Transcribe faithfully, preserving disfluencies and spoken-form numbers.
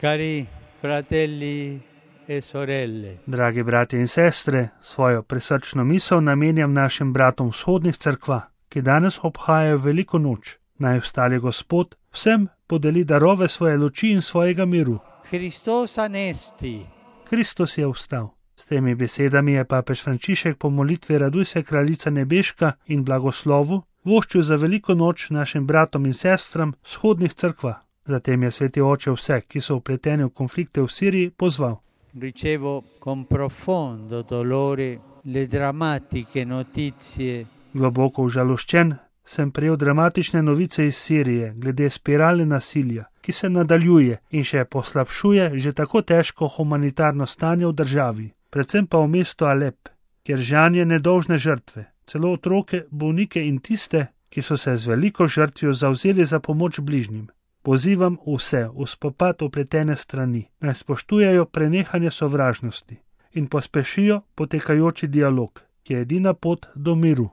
Cari fratelli e sorelle, Dragi bratje in sestre, svojo prisrčno misel namenjam našim bratom vzhodnih cerkva, ki danes obhajajo veliko noč. Naj vstali Gospod vsem podeli darove svoje luči in svojega miru. Christos anesti. Kristus je vstal. S temi besedami je papež Frančišek po molitvi Raduj se kraljica nebeška in blagoslovu voščil za veliko noč našim bratom in sestram vzhodnih cerkva. Zatem je sveti oče vse, ki so vpleteni v konflikte v Siriji, pozval. Ricevo con profondo dolore le drammatiche notizie Globoko užaloščen sem prejel dramatične novice iz Sirije glede spirale nasilja, ki se nadaljuje in še poslabšuje že tako težko humanitarno stanje v državi, predvsem pa v mestu Alep, kjer žanje nedolžne žrtve, celo otroke, bolnike in tiste, ki so se z veliko žrtvijo zavzeli za pomoč bližnjim. Pozivam vse v spopad vpletene strani, naj spoštujejo prenehanje sovražnosti in pospešijo potekajoči dialog, ki je edina pot do miru.